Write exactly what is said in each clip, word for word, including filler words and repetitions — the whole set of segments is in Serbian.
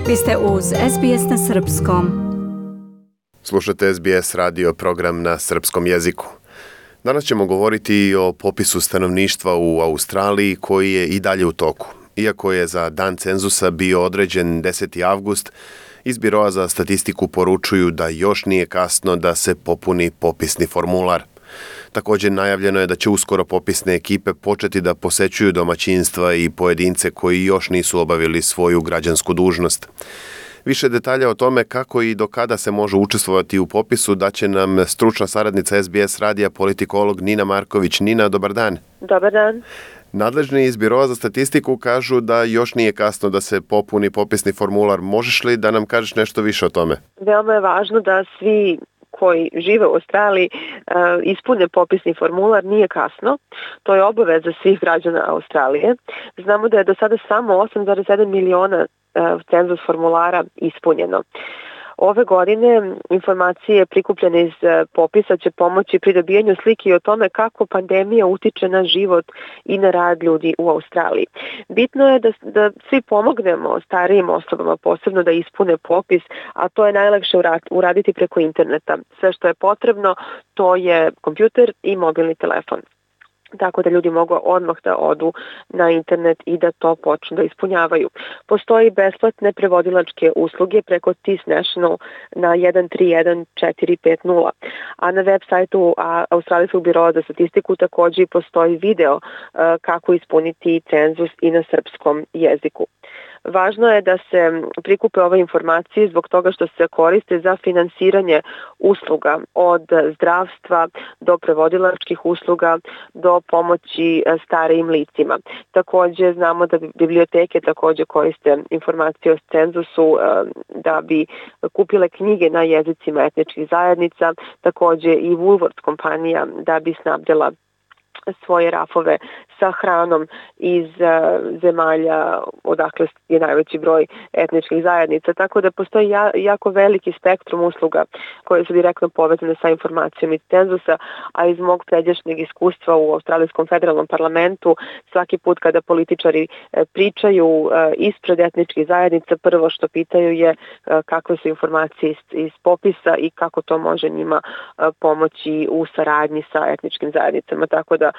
Vi ste uz S B S na srpskom. Slušate S B S radio program na srpskom jeziku. Danas ćemo govoriti i o popisu stanovništva u Australiji koji je i dalje u toku. Iako je za dan cenzusa bio određen deseti avgust, iz Biroa za statistiku poručuju da još nije kasno da se popuni popisni formular. Također najavljeno je da će uskoro popisne ekipe početi da posećuju domaćinstva i pojedince koji još nisu obavili svoju građansku dužnost. Više detalja o tome kako i do kada se može učestvovati u popisu daće nam stručna saradnica S B S radija, politikolog Nina Marković. Nina, dobar dan. Dobar dan. Nadležni iz Biroa za statistiku kažu da još nije kasno da se popuni popisni formular. Možeš li da nam kažeš nešto više o tome? Veoma je važno da svi koji žive u Australiji ispune popisni formular, nije kasno. To je obaveza svih građana Australije. Znamo da je do sada samo osam zarez sedam miliona cenzus formulara ispunjeno. Ove godine informacije prikupljene iz popisa će pomoći pri dobijanju slike i o tome kako pandemija utiče na život i na rad ljudi u Australiji. Bitno je da, da svi pomognemo starijim osobama, posebno da ispune popis, a to je najlakše uraditi preko interneta. Sve što je potrebno, to je kompjuter i mobilni telefon. Tako da ljudi mogu odmah da odu na internet i da to počnu da ispunjavaju. Postoji besplatne prevodilačke usluge preko T I S National na jedan tri jedan četiri pet nula, a na web sajtu Australijskog biroa za statistiku također postoji video kako ispuniti cenzus i na srpskom jeziku. Važno je da se prikupe ove informacije zbog toga što se koriste za finansiranje usluga od zdravstva do prevodilačkih usluga do pomoći starijim licima. Također znamo da biblioteke također koriste informacije o cenzusu da bi kupile knjige na jezicima etničkih zajednica, također i Woolworths kompanija da bi snabdjela svoje rafove sa hranom iz uh, zemalja odakle je najveći broj etničkih zajednica. Tako da postoji ja, jako veliki spektrum usluga koje su direktno povezane sa informacijom iz cenzusa, a iz mog pređašnjeg iskustva u Australijskom federalnom parlamentu svaki put kada političari uh, pričaju uh, ispred etničkih zajednica, prvo što pitaju je uh, kakve su informacije iz, iz popisa i kako to može njima uh, pomoći u saradnji sa etničkim zajednicama. Tako da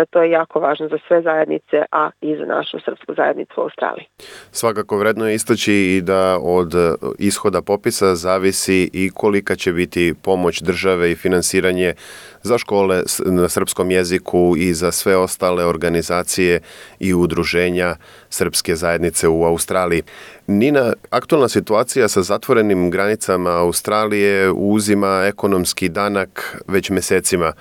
to je jako važno za sve zajednice, a i za našu srpsku zajednicu u Australiji. Svakako vredno je istaći i da od ishoda popisa zavisi i kolika će biti pomoć države i finansiranje za škole na srpskom jeziku i za sve ostale organizacije i udruženja srpske zajednice u Australiji. Nina, aktualna situacija sa zatvorenim granicama Australije uzima ekonomski danak već mesecima.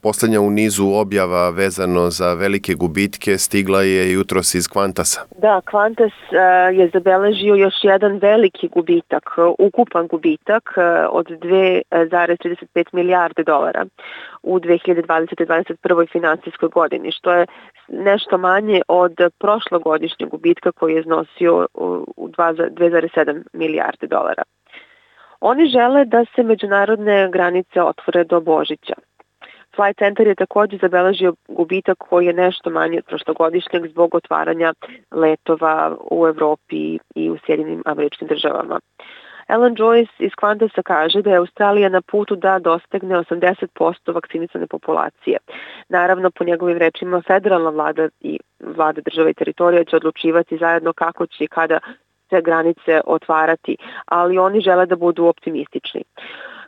Posljednja u nizu objava vezano za velike gubitke stigla je jutros iz Qantasa. Da, Qantas uh, je zabeležio još jedan veliki gubitak, ukupan gubitak uh, od dve zarez trideset pet milijarde dolara u dve hiljade dvadesete. dvadeset prve. financijskoj godini, što je nešto manje od prošlogodišnjeg gubitka koji je iznosio u dve zarez sedam milijarde dolara. Oni žele da se međunarodne granice otvore do Božića. Flight Center je također zabeležio gubitak koji je nešto manji od prošlogodišnjeg zbog otvaranja letova u Evropi i u Sjedinim Američkim Državama. Alan Joyce iz Qantasa kaže da je Australija na putu da dostigne osamdeset posto vakcinisane populacije. Naravno, po njegovim rečima, federalna vlada i vlada države i teritorija će odlučivati zajedno kako će i kada se granice otvarati, ali oni žele da budu optimistični.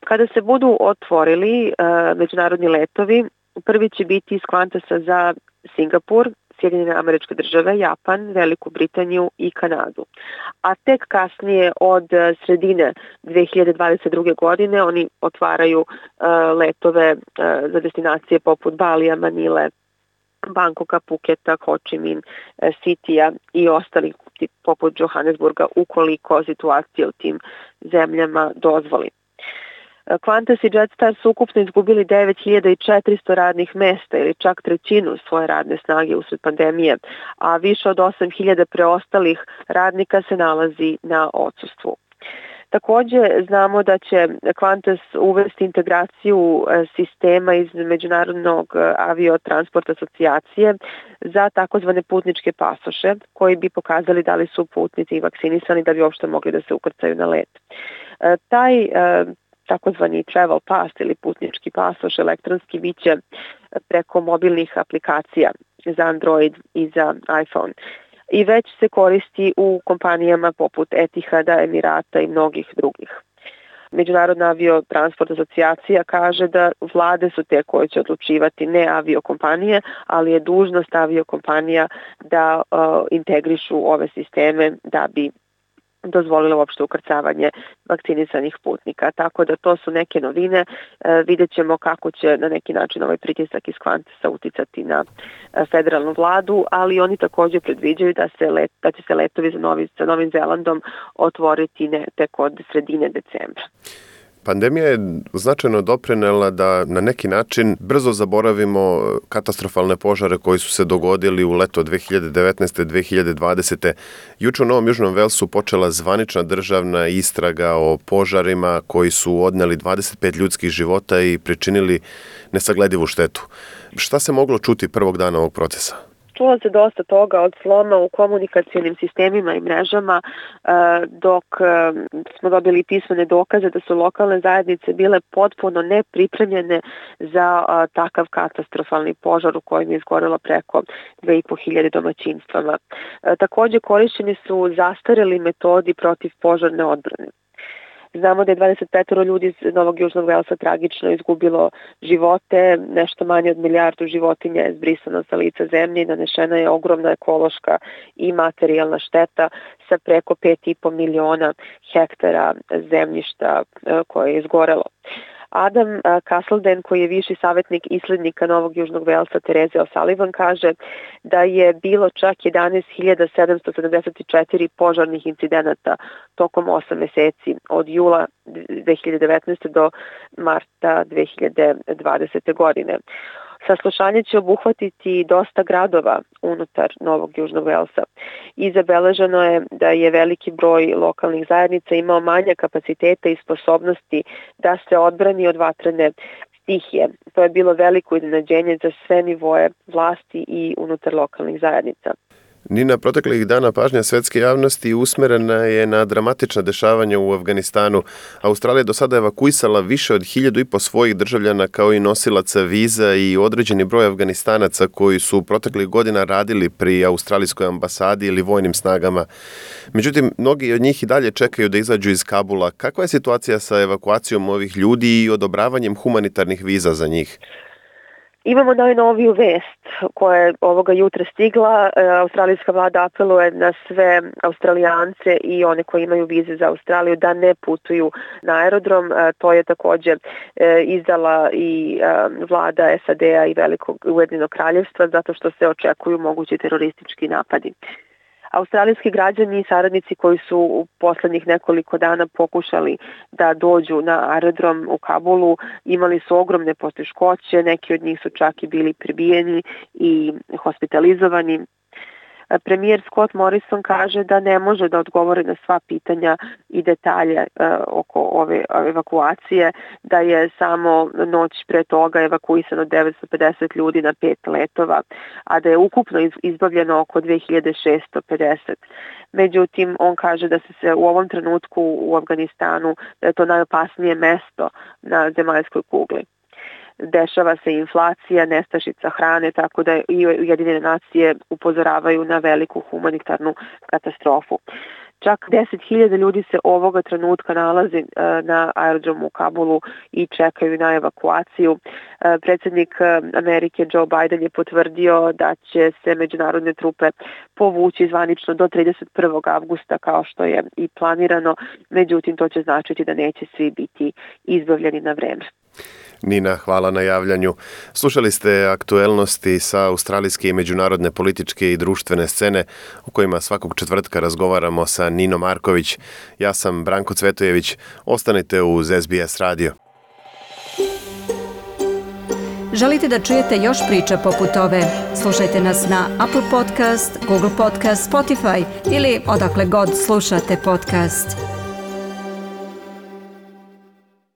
Kada se budu otvorili uh, međunarodni letovi, prvi će biti iz Qantasa za Singapur, Sjedinjene Američke Države, Japan, Veliku Britaniju i Kanadu. A tek kasnije od sredine dve hiljade dvadeset druge. godine oni otvaraju uh, letove uh, za destinacije poput Balija, Manile, Bangkoka, Puketa, Ho Chi Minh, Sitija i ostalih poput Johannesburga ukoliko situacija u tim zemljama dozvoli. Qantas i Jetstar su ukupno izgubili devet hiljada četiristo radnih mesta ili čak trećinu svoje radne snage usred pandemije, a više od osam hiljada preostalih radnika se nalazi na odsustvu. Također znamo da će Qantas uvesti integraciju sistema iz Međunarodnog aviotransporta asocijacije za takozvane putničke pasoše koji bi pokazali da li su putnici vakcinisani da bi uopšte mogli da se ukrcaju na let. Taj takozvani travel pass ili putnički pasoš elektronski biće preko mobilnih aplikacija za Android i za iPhone. I već se koristi u kompanijama poput Etihada, Emirata i mnogih drugih. Međunarodna aviotransport asocijacija kaže da vlade su te koje će odlučivati, ne aviokompanije, ali je dužnost aviokompanija da uh, integrišu ove sisteme da bi dozvolilo uopšte ukrcavanje vakcinisanih putnika. Tako da to su neke novine. E, vidjet ćemo kako će na neki način ovaj pritisak iz Qantasa uticati na e, federalnu vladu, ali oni također predviđaju da, se let, da će se letovi za, Novi, za Novim Zelandom otvoriti ne, tek od sredine decembra. Pandemija je značajno doprinela da na neki način brzo zaboravimo katastrofalne požare koji su se dogodili u leto dve hiljade devetnaeste. dve hiljade dvadesete. Juče u Novom Južnom Velsu počela zvanična državna istraga o požarima koji su odneli dvadeset pet ljudskih života i pričinili nesagledivu štetu. Šta se moglo čuti prvog dana ovog procesa? Čulo se dosta toga od sloma u komunikacionim sistemima i mrežama, dok smo dobili pismene dokaze da su lokalne zajednice bile potpuno nepripremljene za takav katastrofalni požar u kojem je izgorelo preko dve i po hiljade domaćinstvama. Također korišćeni su zastareli metodi protiv požarne odbrane. Znamo da je dvadeset pet ljudi iz Novog Južnog Velsa tragično izgubilo živote, nešto manje od milijardu životinja je zbrisano sa lica zemlje i nanešena je ogromna ekološka i materijalna šteta sa preko pet i po miliona hektara zemljišta koje je izgorelo. Adam Castleden, koji je viši savjetnik islednika Novog Južnog Velsa Tereze O'Sullivan, kaže da je bilo čak jedanaest hiljada sedamsto sedamdeset četiri požarnih incidenata tokom osam meseci od jula dve hiljade devetnaeste. do marta dve hiljade dvadesete. godine. Saslušanje će obuhvatiti dosta gradova unutar Novog Južnog Velsa i zabeleženo je da je veliki broj lokalnih zajednica imao manje kapaciteta i sposobnosti da se odbrani od vatrene stihije. To je bilo veliko iznenađenje za sve nivoe vlasti i unutar lokalnih zajednica. Nina, proteklih dana pažnja svetske javnosti usmerena je na dramatična dešavanja u Afganistanu. Australija do sada evakuisala više od hiljadu i po svojih državljana kao i nosilaca viza i određeni broj Afganistanaca koji su proteklih godina radili pri australijskoj ambasadi ili vojnim snagama. Međutim, mnogi od njih i dalje čekaju da izađu iz Kabula. Kakva je situacija sa evakuacijom ovih ljudi i odobravanjem humanitarnih viza za njih? Imamo najnoviju vest koja je ovoga jutra stigla. Australijska vlada apeluje na sve Australijance i one koji imaju vize za Australiju da ne putuju na aerodrom. To je također izdala i vlada S A D-a i Velikog Ujedinjenog Kraljevstva zato što se očekuju mogući teroristički napadi. Australijski građani i saradnici koji su u poslednjih nekoliko dana pokušali da dođu na aerodrom u Kabulu imali su ogromne poteškoće, neki od njih su čak i bili prebijeni i hospitalizovani. Premijer Scott Morrison kaže da ne može da odgovori na sva pitanja i detalje uh, oko ove evakuacije, da je samo noć pre toga evakuisano devetsto pedeset ljudi na pet letova, a da je ukupno izbavljeno oko dve hiljade šessto pedeset. Međutim, on kaže da se, se u ovom trenutku u Afganistanu, da je to najopasnije mesto na zemaljskoj kugli. Dešava se inflacija, nestašica hrane, tako da i Ujedinjene nacije upozoravaju na veliku humanitarnu katastrofu. Čak deset hiljada ljudi se ovoga trenutka nalazi na aerodromu u Kabulu i čekaju na evakuaciju. Predsjednik Amerike Joe Biden je potvrdio da će se međunarodne trupe povući zvanično do trideset prvog avgusta kao što je i planirano, međutim to će značiti da neće svi biti izbavljeni na vreme. Nina, hvala na javljanju. Slušali ste aktuelnosti sa australijske i međunarodne političke i društvene scene o kojima svakog četvrtka razgovaramo sa Ninom Marković. Ja sam Branko Cvetojević. Ostanite uz S B S radio. Želite da čujete još priča poput ove? Slušajte nas na Apple Podcast, Google Podcast, Spotify ili odakle god slušate podcast.